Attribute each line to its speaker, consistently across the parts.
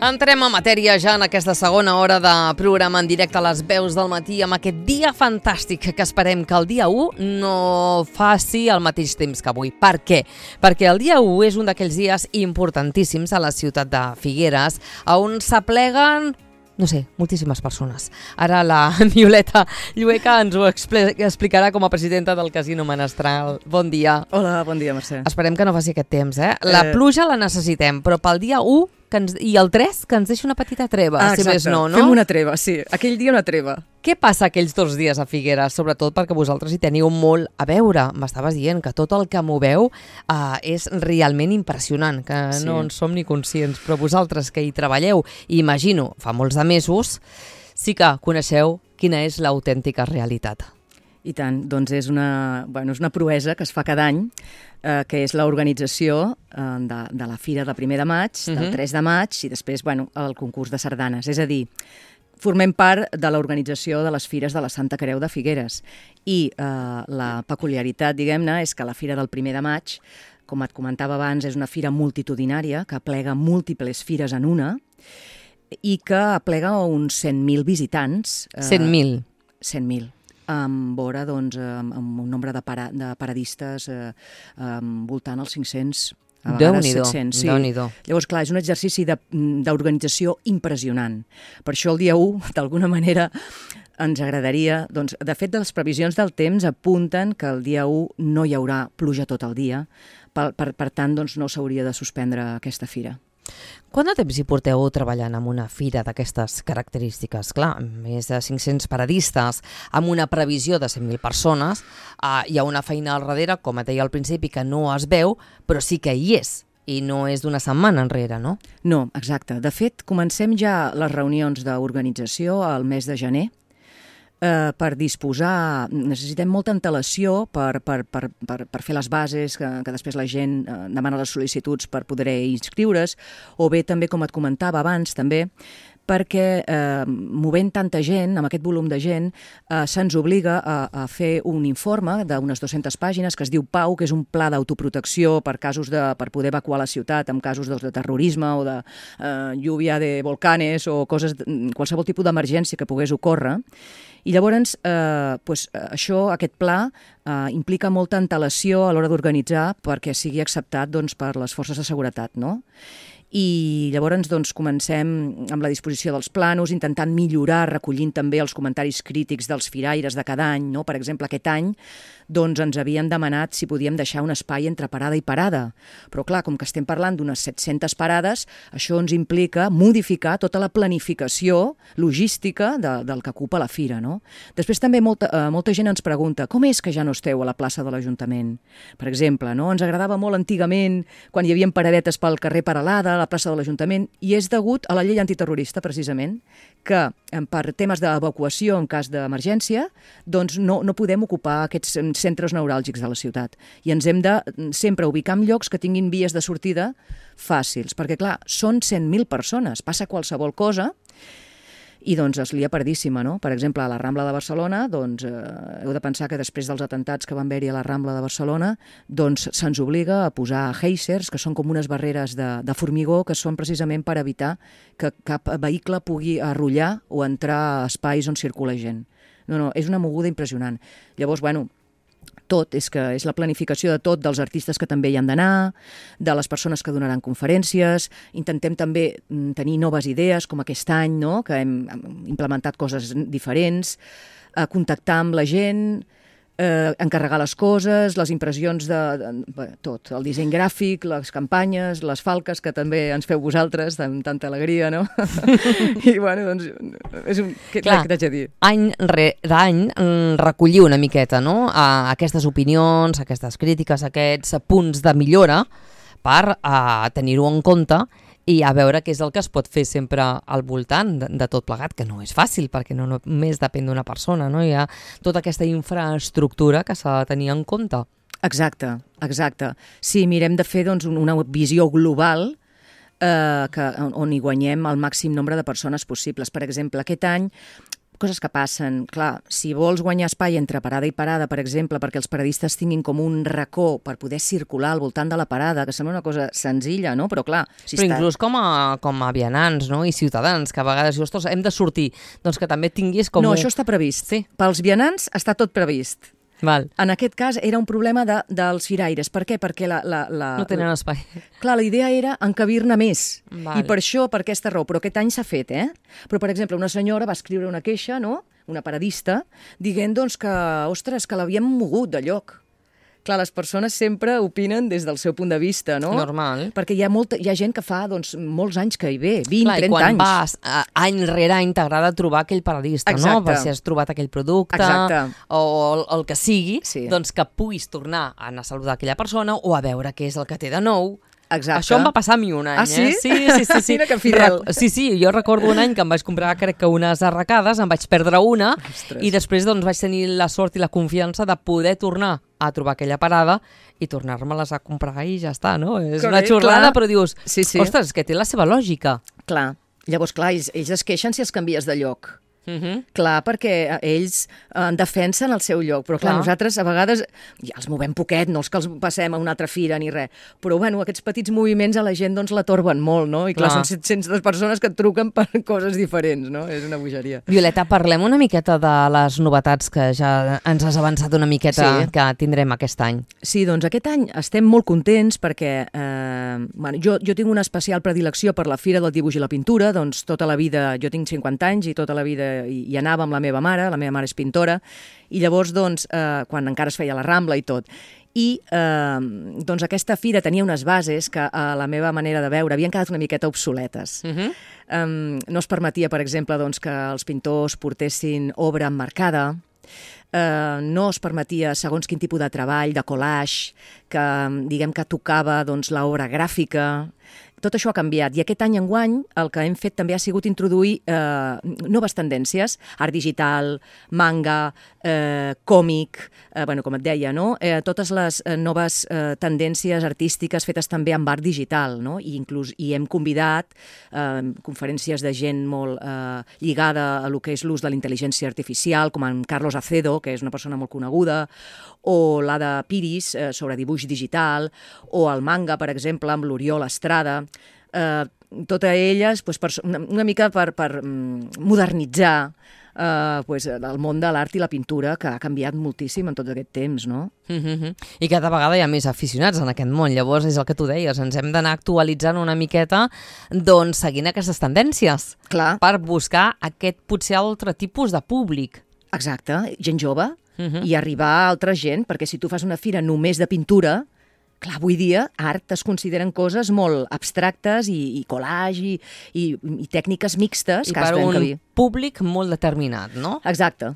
Speaker 1: Entrem a matèria ja en aquesta segona hora de programa en directe a les veus del matí amb aquest dia fantàstic que esperem que el dia 1 no faci al mateix temps que avui. Per què? Perquè el dia 1 és un d'aquells dies importantíssims a la ciutat de Figueres on s'apleguen moltíssimes persones. Ara la Violeta Llueca ens ho explicarà com a presidenta del Casino Menestral. Bon dia.
Speaker 2: Hola, bon dia, Mercè.
Speaker 1: Esperem que no faci aquest temps, La pluja la necessitem, però pel dia 1 i el 3 que ens deixa una petita treva, si més no, no?
Speaker 2: Fem una treva, sí. Aquell dia una treva.
Speaker 1: Què passa aquells 2 dies a Figueres? Sobretot perquè vosaltres hi teniu molt a veure. M'estaves dient que tot el que moveu és realment impressionant, que no en som ni conscients, però vosaltres que hi treballeu, i imagino, fa molts de mesos, sí que coneixeu quina és l'autèntica realitat.
Speaker 2: I tant, doncs és una proesa que es fa cada any, que és l'organització de la Fira de 1 de maig, del 3 de maig i després el concurs de sardanes. És a dir, formem part de l'organització de les Fires de la Santa Creu de Figueres i la peculiaritat, diguem-ne, és que la Fira del 1 de maig, com et comentava abans, és una fira multitudinària que aplega múltiples fires en una i que aplega uns 100.000 visitants.
Speaker 1: 100.000?
Speaker 2: 100.000. Amb un nombre de paradistes voltant als 500, a vegades 700. Sí.
Speaker 1: Déu-n'hi-do.
Speaker 2: Llavors, clar, és un exercici d'organització impressionant. Per això el dia 1, d'alguna manera, ens agradaria... De fet, les previsions del temps apunten que el dia 1 no hi haurà pluja tot el dia, per tant, no s'hauria de suspendre aquesta fira.
Speaker 1: Quant de temps hi porteu treballant en una fira d'aquestes característiques? Clar, més de 500 paradistes, amb una previsió de 100.000 persones, hi ha una feina al darrere, com et deia al principi, que no es veu, però sí que hi és, i no és d'una setmana enrere, no?
Speaker 2: No, exacte. De fet, comencem ja les reunions d'organització al mes de gener, per disposar, necessitem molta antelació per fer les bases, que després la gent demana les sol·licituds per poder inscriure's, o bé també, com et comentava abans, també, perquè movent tanta gent, amb aquest volum de gent, se'ns obliga a fer un informe d'unes 200 pàgines que es diu PAU, que és un pla d'autoprotecció per poder evacuar la ciutat en casos de terrorisme o de lluvia de volcanes o qualsevol tipus d'emergència que pogués ocórrer. I llavors, aquest pla implica molta antelació a l'hora d'organitzar perquè sigui acceptat per les forces de seguretat, no? I llavors comencem amb la disposició dels planos, intentant millorar, recollint també els comentaris crítics dels firaires de cada any, no? Per exemple, aquest any ens havien demanat si podíem deixar un espai entre parada i parada. Però clar, com que estem parlant d'unes 700 parades, això ens implica modificar tota la planificació logística del que ocupa la fira, no? Després també molta gent ens pregunta com és que ja no esteu a la plaça de l'Ajuntament? Per exemple, no? Ens agradava molt antigament quan hi havia paradetes pel carrer Peralada, a la plaça de l'Ajuntament, i és degut a la llei antiterrorista, precisament, que per temes d'evacuació en cas d'emergència, no podem ocupar aquests centres neuràlgics de la ciutat. I ens hem de sempre ubicar en llocs que tinguin vies de sortida fàcils, perquè clar, són 100.000 persones, passa qualsevol cosa, i es lia pardíssima, no? Per exemple, a la Rambla de Barcelona, heu de pensar que després dels atentats que van haver-hi a la Rambla de Barcelona, se'ns obliga a posar geysers, que són com unes barreres de formigó, que són precisament per evitar que cap vehicle pugui arrollar o entrar a espais on circula gent. No, és una moguda impressionant. Llavors, és la planificació de tot, dels artistes que també hi han d'anar, de les persones que donaran conferències, intentem també tenir noves idees, com aquest any, no? Que hem implementat coses diferents, contactar amb la gent, encarregar les coses, les impressions de tot, el disseny gràfic, les campanyes, les falques, que també ens feu vosaltres amb tanta alegria, no? I què t'haig de dir?
Speaker 1: Any rere any recollir una miqueta, no? Aquestes opinions, aquestes crítiques, aquests punts de millora per tenir-ho en compte i a veure què és el que es pot fer sempre al voltant de tot plegat, que no és fàcil, perquè no només depèn d'una persona, no? Hi ha tota aquesta infraestructura que s'ha de tenir en compte.
Speaker 2: Exacte. Sí, mirem de fer una visió global on hi guanyem el màxim nombre de persones possibles. Per exemple, aquest any coses que passen. Clar, si vols guanyar espai entre parada i parada, per exemple, perquè els paradistes tinguin com un racó per poder circular al voltant de la parada, que sembla una cosa senzilla, no? Però clar...
Speaker 1: Però inclús com a vianants, no? I ciutadans, que a vegades dius, ostres, hem de sortir, doncs que també tinguis com...
Speaker 2: No, això està previst.
Speaker 1: Sí.
Speaker 2: Pels vianants està tot previst.
Speaker 1: Val.
Speaker 2: En aquest cas era un problema dels firaires. Per què? Perquè
Speaker 1: no tenen espai.
Speaker 2: Clar, la idea era encabir-ne més.
Speaker 1: Val.
Speaker 2: I per això, per aquesta raó. Però aquest any s'ha fet, Però, per exemple, una senyora va escriure una queixa, no?, una paradista, dient doncs, que, ostres, que l'havien mogut de lloc. Clar, les persones sempre opinen des del seu punt de vista, no?
Speaker 1: Normal.
Speaker 2: Perquè hi ha gent que fa doncs, molts anys que hi ve, 20,
Speaker 1: clar,
Speaker 2: 30 anys.
Speaker 1: Clar, i quan vas any rere any t'agrada trobar aquell paradista,
Speaker 2: exacte,
Speaker 1: no? Per si has trobat aquell producte o el que sigui,
Speaker 2: sí,
Speaker 1: doncs que puguis tornar a anar a saludar aquella persona o a veure què és el que té de nou.
Speaker 2: Exacte.
Speaker 1: Això em va passar a mi un any,
Speaker 2: sí?
Speaker 1: Sí.
Speaker 2: Mira que fidel.
Speaker 1: Sí, jo recordo un any que em vaig comprar, crec que unes arracades, em vaig perdre una, ostres, i després doncs vaig tenir la sort i la confiança de poder tornar a trobar aquella parada i tornar-me-les a comprar i ja està, no? És una xorrada, clar, però dius, ostres, que té la seva lògica.
Speaker 2: Clar. Llavors, clar, ells es queixen si els canvies de lloc. Clar, perquè ells defensen el seu lloc, però clar, nosaltres a vegades ja els movem poquet, no és que els passem a una altra fira ni res, però bueno, aquests petits moviments a la gent doncs la torben molt, no? I clar, són 700 persones que et truquen per coses diferents, no? És una bogeria.
Speaker 1: Violeta, parlem una miqueta de les novetats que ja ens has avançat una miqueta que tindrem aquest any.
Speaker 2: Sí, doncs aquest any estem molt contents perquè jo tinc una especial predilecció per la Fira del Dibuix i la Pintura, doncs tota la vida, jo tinc 50 anys i tota la vida hi anava amb la meva mare és pintora, i llavors, doncs, quan encara es feia la Rambla i tot. I doncs aquesta fira tenia unes bases que a la meva manera de veure havien quedat una miqueta obsoletes. No es permetia, per exemple, doncs, que els pintors portessin obra emmarcada, no es permetia segons quin tipus de treball, de collage, que diguem que tocava doncs, l'obra gràfica. Tot això ha canviat i aquest any enguany el que hem fet també ha sigut introduir noves tendències, art digital, manga, còmic, com et deia, no? Totes les noves tendències artístiques fetes també amb art digital, no? I hem convidat conferències de gent molt lligada a lo que és l'ús de la intel·ligència artificial, com en Carlos Acedo, que és una persona molt coneguda, o l'Ada Piris sobre dibuix digital, o el manga, per exemple, amb l'Oriol Estrada. Totes elles una mica per modernitzar el món de l'art i la pintura, que ha canviat moltíssim en tot aquest temps, no?
Speaker 1: I cada vegada hi ha més aficionats en aquest món, llavors és el que tu deies, ens hem d'anar actualitzant una miqueta, doncs seguint aquestes tendències.
Speaker 2: Clar.
Speaker 1: Per buscar aquest potser altre tipus de públic.
Speaker 2: Exacte, gent jove, i arribar a altra gent, perquè si tu fas una fira només de pintura, clar, avui dia art es consideren coses molt abstractes i collage i tècniques mixtes.
Speaker 1: I per un públic molt determinat, no?
Speaker 2: Exacte.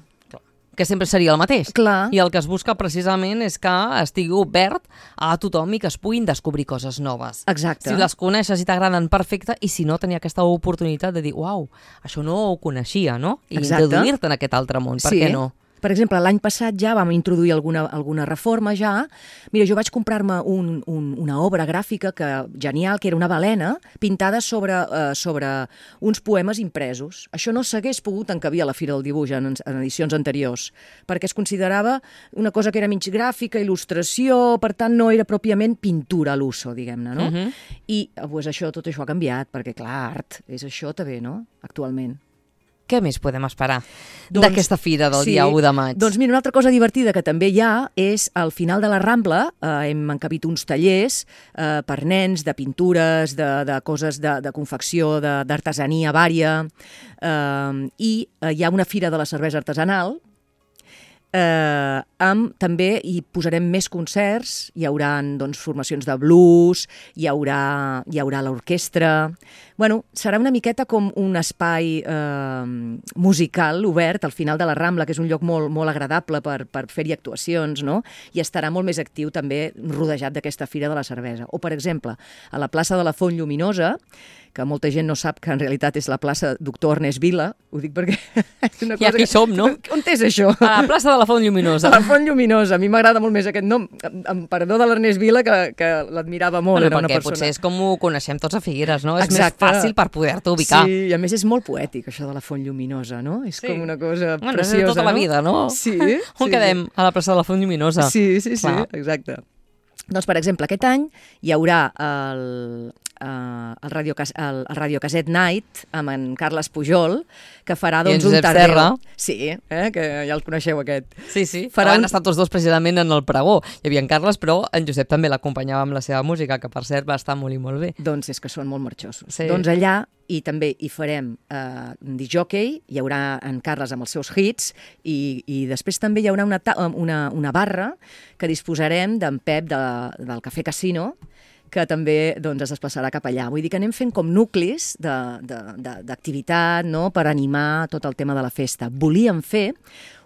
Speaker 1: Que sempre seria el mateix.
Speaker 2: Clar.
Speaker 1: I el que es busca precisament és que estigui obert a tothom i que es puguin descobrir coses noves.
Speaker 2: Exacte.
Speaker 1: Si les coneixes i t'agraden, perfecte, i si no, tenir aquesta oportunitat de dir, uau, això no ho coneixia, no? I introduir-te en aquest altre món, per què no?
Speaker 2: Per exemple, l'any passat ja vam introduir alguna reforma ja. Mira, jo vaig comprar-me una obra gràfica genial, que era una balena pintada sobre uns poemes impresos. Això no s'hagués pogut encabir a la Fira del Dibuix en edicions anteriors, perquè es considerava una cosa que era mig gràfica, il·lustració, per tant no era pròpiament pintura a l'uso, diguem-ne, no? I tot això ha canviat, perquè clar, art és això també, no?, actualment.
Speaker 1: Què més podem esperar d'aquesta fira del dia 1 de maig?
Speaker 2: Doncs mira, una altra cosa divertida que també hi ha és al final de la Rambla hem encabit uns tallers per nens de pintures, de coses de confecció, d'artesania vària, i hi ha una fira de la cervesa artesanal. També hi posarem més concerts, hi haurà formacions de blues, hi haurà l'orquestra. Bueno, serà una miqueta com un espai musical obert al final de la Rambla, que és un lloc molt, molt agradable per fer-hi actuacions, no? I estarà molt més actiu també rodejat d'aquesta Fira de la Cervesa. O, per exemple, a la plaça de la Font Lluminosa, que molta gent no sap que en realitat és la plaça Doctor Ernest Vila, ho dic perquè és una cosa...
Speaker 1: I aquí som, no?
Speaker 2: On és això?
Speaker 1: A la plaça de la Font Lluminosa.
Speaker 2: A la Font Lluminosa. A mi m'agrada molt més aquest nom, amb perdó de l'Ernest Vila, que l'admirava molt.
Speaker 1: Bueno,
Speaker 2: era una
Speaker 1: perquè
Speaker 2: persona...
Speaker 1: potser és com ho coneixem tots a Figueres, no?
Speaker 2: Exacte.
Speaker 1: És més fàcil per poder-te ubicar.
Speaker 2: Sí, i a més és molt poètic, això de la Font Lluminosa, no? És com una cosa
Speaker 1: bueno,
Speaker 2: preciosa,
Speaker 1: és de tota la vida, no?
Speaker 2: Sí.
Speaker 1: On quedem? A la plaça de la Font Lluminosa.
Speaker 2: Sí,
Speaker 1: Clar.
Speaker 2: exacte. Doncs, per exemple, aquest any hi haurà el Radio Caset Night amb en Carles Pujol, que farà doncs, un
Speaker 1: Josep
Speaker 2: tardeu.
Speaker 1: Serra.
Speaker 2: Sí, que ja el coneixeu aquest.
Speaker 1: Sí. Van estar tots dos precisament en el pregó. Hi havia en Carles, però en Josep també l'acompanyava amb la seva música, que per cert va estar molt i molt bé.
Speaker 2: Doncs és que són molt marxosos.
Speaker 1: Sí.
Speaker 2: Doncs allà i també hi farem un disjockey, hi haurà en Carles amb els seus hits i després també hi haurà una barra que disposarem d'en Pep del Cafè Casino, que també doncs, es desplaçarà cap allà. Vull dir que anem fent com nuclis d'activitat, no?, per animar tot el tema de la festa. Volíem fer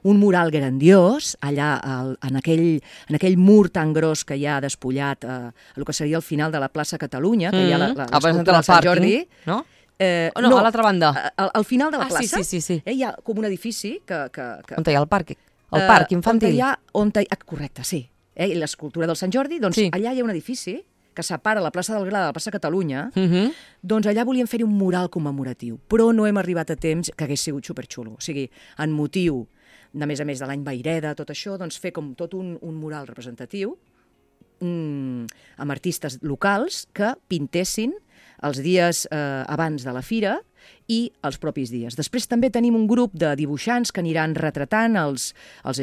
Speaker 2: un mural grandiós allà en aquell mur tan gros que hi ha despullat el que seria el final de la plaça Catalunya, que hi ha l'escultura del Sant Jordi.
Speaker 1: No? No, a l'altra banda.
Speaker 2: Al final de la plaça
Speaker 1: sí.
Speaker 2: Hi ha com un edifici que...
Speaker 1: On hi ha el parc? El parc infantil?
Speaker 2: Correcte, sí. I l'escultura del Sant Jordi, doncs allà hi ha un edifici que separa la plaça del Gra de la plaça Catalunya, doncs allà volíem fer-hi un mural commemoratiu, però no hem arribat a temps, que hagués sigut superxulo. O sigui, en motiu, a més de l'any Vaireda, tot això, doncs fer com tot un mural representatiu amb artistes locals que pintessin els dies abans de la fira i els propis dies. Després també tenim un grup de dibuixants que aniran retratant els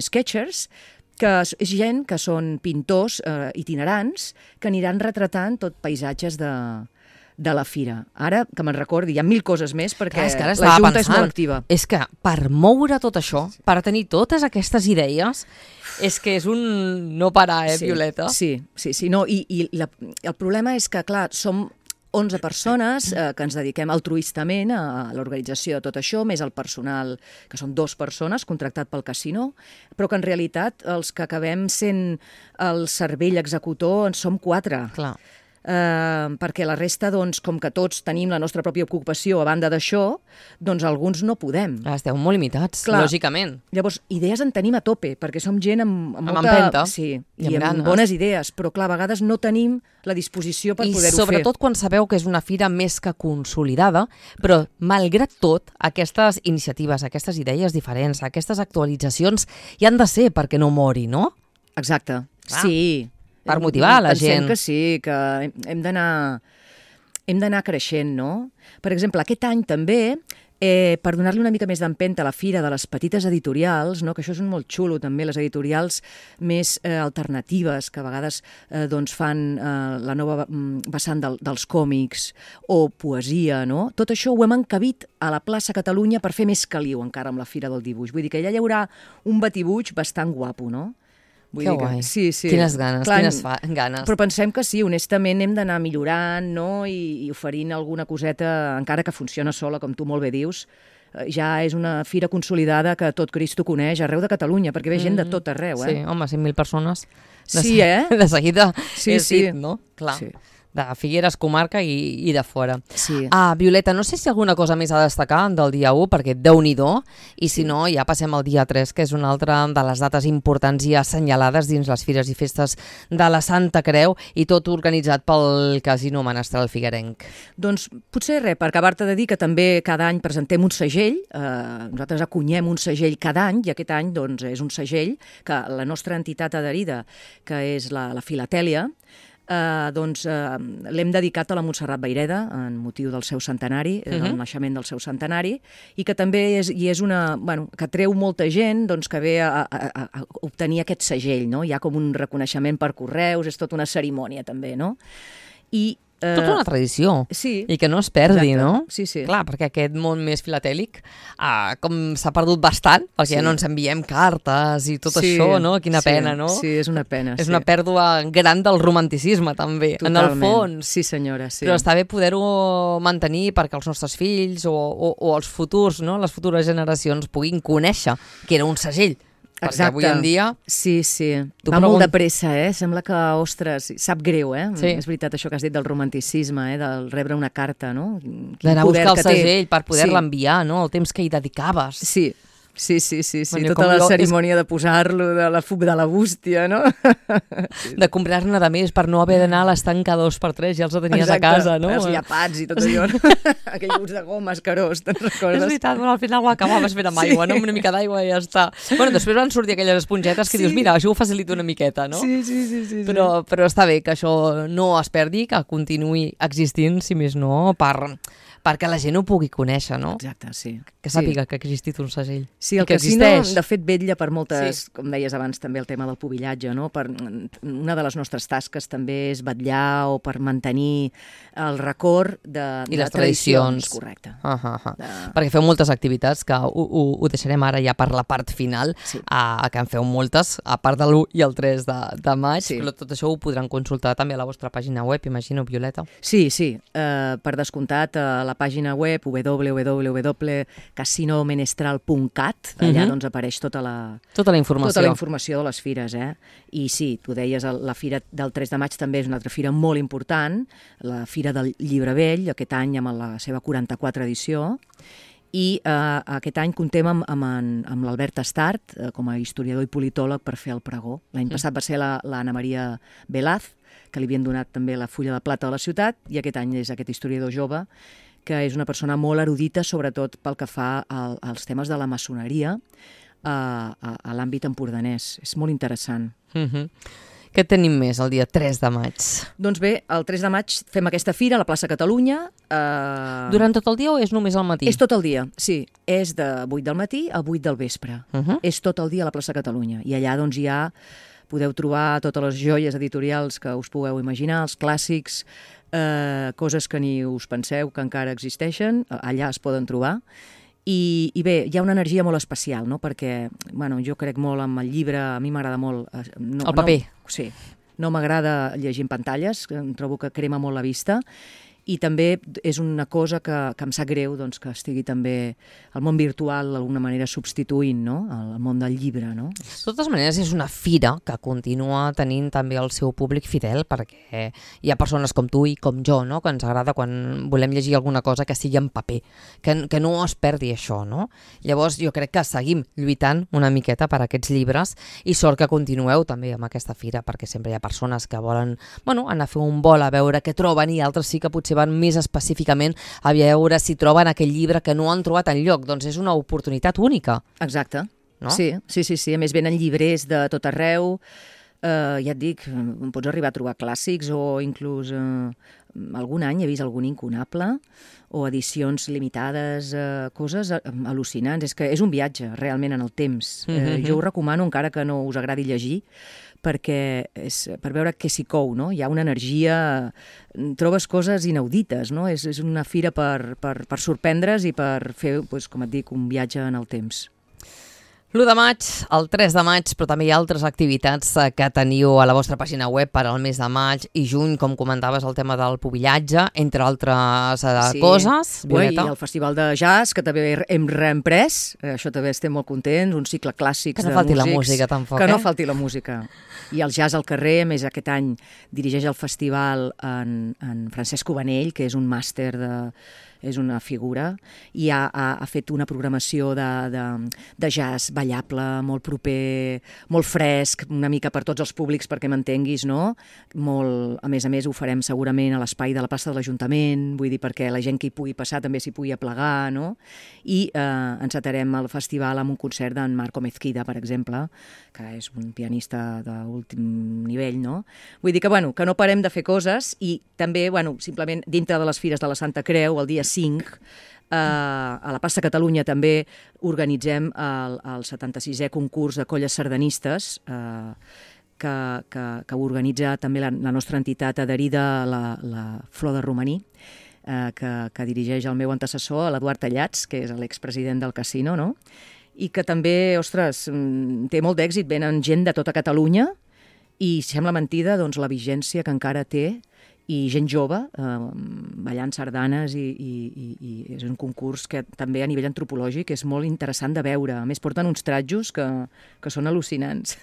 Speaker 2: sketchers, que és gent que són pintors itinerants que aniran retratant tot paisatges de la fira. Ara, que me'n recordi, hi ha 1000 coses més perquè la Junta és molt activa.
Speaker 1: És que per moure tot això, per tenir totes aquestes idees, és que és un no parar, Violeta?
Speaker 2: Sí. No, i el problema és que, clar, som 11 persones que ens dediquem altruistament a l'organització de tot això, més el personal, que són 2 persones, contractat pel casino, però que en realitat els que acabem sent el cervell executor en som 4.
Speaker 1: Clar.
Speaker 2: Perquè la resta, doncs, com que tots tenim la nostra pròpia ocupació a banda d'això, doncs alguns no podem.
Speaker 1: Esteu molt limitats, lògicament.
Speaker 2: Llavors, idees en tenim a tope, perquè som gent amb molta...
Speaker 1: empenta.
Speaker 2: Sí, i amb bones idees, però clar, a vegades no tenim la disposició per poder-ho fer.
Speaker 1: I sobretot quan sabeu que és una fira més que consolidada, però malgrat tot, aquestes iniciatives, aquestes idees diferents, aquestes actualitzacions hi han de ser perquè no mori, no?
Speaker 2: Exacte, sí.
Speaker 1: Per motivar la gent.
Speaker 2: Pensem que sí, que hem d'anar creixent, no? Per exemple, aquest any també, per donar-li una mica més d'empenta a la fira de les petites editorials, no? Que això és molt xulo també, les editorials més alternatives, que a vegades doncs fan la nova vessant dels còmics o poesia, no? Tot això ho hem encabit a la plaça Catalunya per fer més caliu encara amb la Fira del Dibuix. Vull dir que allà hi haurà un batibuig bastant guapo, no?
Speaker 1: Que guai.
Speaker 2: Sí.
Speaker 1: Quines ganes, ganes.
Speaker 2: Però pensem que sí, honestament hem d'anar millorant, no? I oferint alguna coseta, encara que funciona sola, com tu molt bé dius. Ja és una fira consolidada que tot Cristo coneix arreu de Catalunya, perquè ve gent de tot arreu.
Speaker 1: Sí, home, 100.000 persones.
Speaker 2: Sí,
Speaker 1: De seguida
Speaker 2: sí.
Speaker 1: dit, no? Clar. Sí. De Figueres, comarca i de fora.
Speaker 2: Sí.
Speaker 1: Violeta, no sé si alguna cosa més a destacar del dia 1, perquè Déu-n'hi-do, i si no, ja passem al dia 3, que és una altra de les dates importants i assenyalades dins les fires i festes de la Santa Creu, i tot organitzat pel Casino Menestral Figuerenc.
Speaker 2: Doncs potser res, per acabar-te de dir que també cada any presentem un segell, nosaltres acunyem un segell cada any, i aquest any doncs, és un segell que la nostra entitat adherida, que és la Filatèlia, l'hem dedicat a la Montserrat Vaireda en motiu del seu centenari, del naixement del seu centenari, i que també és una... que treu molta gent que ve a obtenir aquest segell, no? Hi ha com un reconeixement per correus, és tota una cerimònia també, no?
Speaker 1: Tota una tradició,
Speaker 2: sí,
Speaker 1: i que no es perdi,
Speaker 2: exacte,
Speaker 1: no?
Speaker 2: Sí.
Speaker 1: Clar, perquè aquest món més filatèlic com s'ha perdut bastant, perquè ja no ens enviem cartes i tot això, no? Quina pena, no?
Speaker 2: Sí, és una pena.
Speaker 1: És una pèrdua gran del romanticisme, també,
Speaker 2: totalment.
Speaker 1: En el fons.
Speaker 2: Sí, senyora, sí.
Speaker 1: Però està bé poder-ho mantenir perquè els nostres fills o els futurs, no? Les futures generacions puguin conèixer que era un segell. Perquè avui en dia...
Speaker 2: Sí. Va molt de pressa, Sembla que, ostres, sap greu,
Speaker 1: Sí.
Speaker 2: És veritat això que has dit del romanticisme, del rebre una carta, no?
Speaker 1: D'anar a buscar el segell per poder-la enviar, no? El temps que hi dedicaves.
Speaker 2: Sí. Sí, tota la cerimònia de posar-lo, de la bústia, no?
Speaker 1: De comprar-ne de més per no haver d'anar a l'estanca 2x3, ja els tenies a casa, no?
Speaker 2: Els llapats i tot allò, aquell gust de goma escarós, te'n recordes?
Speaker 1: És veritat, al final ho acabaves fent amb aigua, no? Amb una mica d'aigua i ja està. Bueno, després van sortir aquelles espongetes que dius, mira, això ho facilita una miqueta, no?
Speaker 2: Sí.
Speaker 1: Però està bé que això no es perdi, que continuï existint, si més no, perquè la gent ho pugui conèixer, no?
Speaker 2: Exacte, sí.
Speaker 1: Que sàpiga que ha existit un segell.
Speaker 2: Sí, el casino, de fet, vetlla per moltes, com deies abans també el tema del pubillatge, no? Una de les nostres tasques també és vetllar o per mantenir el record de
Speaker 1: les tradicions.
Speaker 2: Correcte.
Speaker 1: Perquè feu moltes activitats, que ho deixarem ara ja per la part final, que en feu moltes, a part de l'1 i el 3 de maig, però tot això ho podran consultar també a la vostra pàgina web, imagino, Violeta.
Speaker 2: Sí, per descomptat, a la pàgina web www.casinomenestral.cat, allà doncs apareix tota la informació de les fires, I sí, tu deies, la fira del 3 de maig també és una altra fira molt important, la Fira del Llibre Vell, aquest any amb la seva 44 edició, i aquest any contem amb l'Albert Estart com a historiador i politòleg per fer el pregó. L'any passat va ser l'Anna Maria Velaz, que li havien donat també la Fulla de Plata de la ciutat, i aquest any és aquest historiador jove, que és una persona molt erudita, sobretot pel que fa als temes de la maçoneria a l'àmbit empordanès. És molt interessant.
Speaker 1: Què tenim més el dia 3 de maig?
Speaker 2: Doncs bé, el 3 de maig fem aquesta fira a la plaça Catalunya.
Speaker 1: Durant tot el dia o és només al matí?
Speaker 2: És tot el dia, sí. És de 8 del matí a 8 del vespre. És tot el dia a la plaça Catalunya. I allà doncs ja podeu trobar totes les joies editorials que us pugueu imaginar, els clàssics, coses que ni us penseu que encara existeixen, allà es poden trobar. I bé, hi ha una energia molt especial, no? Perquè jo crec molt en el llibre, a mi m'agrada molt...
Speaker 1: El paper.
Speaker 2: Sí, no m'agrada llegir en pantalles, em trobo que crema molt la vista, i també és una cosa que em sap greu doncs, que estigui també el món virtual d'alguna manera substituint, no? El món del llibre, no?
Speaker 1: De totes maneres, és una fira que continua tenint també el seu públic fidel, perquè hi ha persones com tu i com jo, no? Que ens agrada quan volem llegir alguna cosa que sigui en paper, que no es perdi això, no? Llavors jo crec que seguim lluitant una miqueta per aquests llibres i sort que continueu també amb aquesta fira, perquè sempre hi ha persones que volen anar a fer un vol a veure què troben i altres sí que potser van més específicament a veure si troben aquell llibre que no han trobat enlloc. Doncs és una oportunitat única.
Speaker 2: Exacte.
Speaker 1: No?
Speaker 2: Sí. A més, venen llibrers de tot arreu. Ja et dic, pots arribar a trobar clàssics o inclús algun any he vist algun incunable o edicions limitades, coses al·lucinants. És que és un viatge realment en el temps. Jo ho recomano encara que no us agradi llegir, perquè és per veure què s'hi cou, no? Hi ha una energia, trobes coses inaudites, no? És una fira per sorprendre's i per fer, com et dic, un viatge en el temps.
Speaker 1: L'1 de maig, el 3 de maig, però també hi ha altres activitats que teniu a la vostra pàgina web per al mes de maig i juny, com comentaves, el tema del pubillatge, entre altres coses.
Speaker 2: Violeta. I el Festival de Jazz, que també hem reemprès, això també estem molt contents, un cicle clàssic de músics.
Speaker 1: Que no falti la música, tampoc,
Speaker 2: Que no falti la música. I el jazz al carrer, a més aquest any dirigeix el festival en Francesc Ubanell, que és un màster és una figura, i ha fet una programació de jazz ballable, molt proper, molt fresc, una mica per tots els públics, perquè m'entenguis, no? A més, ho farem segurament a l'espai de la plaça de l'Ajuntament, vull dir, perquè la gent que hi pugui passar també s'hi pugui aplegar, no? I encetarem el festival amb un concert d'en Marco Mezquida, per exemple, que és un pianista d'últim nivell, no? Vull dir que no parem de fer coses i també, simplement dintre de les fires de la Santa Creu, el dia 5, a la plaça Catalunya també organitzem el 76è concurs de colles sardanistes que organitza també la nostra entitat adherida, la Flor de Romaní, que dirigeix el meu antecessor, l'Eduard Tallats, que és l'expresident del casino, no? I que també, ostres, té molt d'èxit, venen gent de tota Catalunya i sembla mentida la vigència que encara té i gent jove ballant sardanes i és un concurs que també a nivell antropològic és molt interessant de veure. A més, porten uns tratjos que són al·lucinants.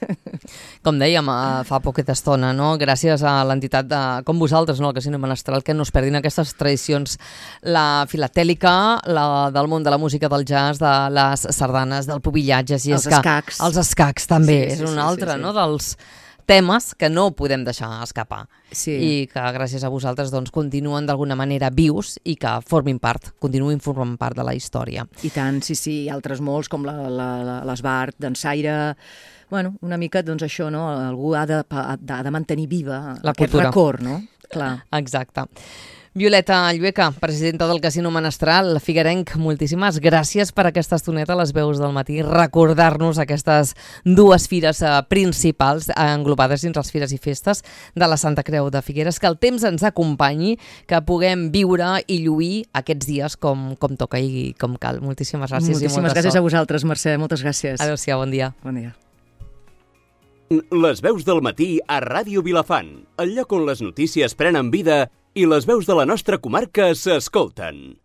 Speaker 1: Com dèiem fa poqueta estona, no? Gràcies a l'entitat com vosaltres, no? El Casino Menestral, que no es perdin aquestes tradicions, la filatèlica, la del món de la música del jazz, de les sardanes, del pubillatge,
Speaker 2: els escacs.
Speaker 1: Els escacs també, és un altre, no? Dels temes que no podem deixar escapar i que gràcies a vosaltres doncs, continuen d'alguna manera vius i que continuïn formant part de la història.
Speaker 2: I tant, sí, altres molts com l'Esbart, Dansaire. Bueno, una mica doncs això, no? Algú ha de mantenir viva aquest record, no? Clar.
Speaker 1: Exacte. Violeta Llueca, presidenta del Casino Menestral, figuerenc, moltíssimes gràcies per aquesta estoneta a les veus del matí, recordar-nos aquestes dues fires principals englobades dins les fires i festes de la Santa Creu de Figueres, que el temps ens acompanyi, que puguem viure i lluir aquests dies com toca i com cal. Moltíssimes gràcies.
Speaker 2: Moltíssimes gràcies a vosaltres, Mercè, moltes gràcies.
Speaker 1: Adéu-siau, bon dia.
Speaker 2: Bon dia.
Speaker 3: Les veus del matí a Ràdio Vilafant, el lloc on les notícies prenen vida i les veus de la nostra comarca s'escolten.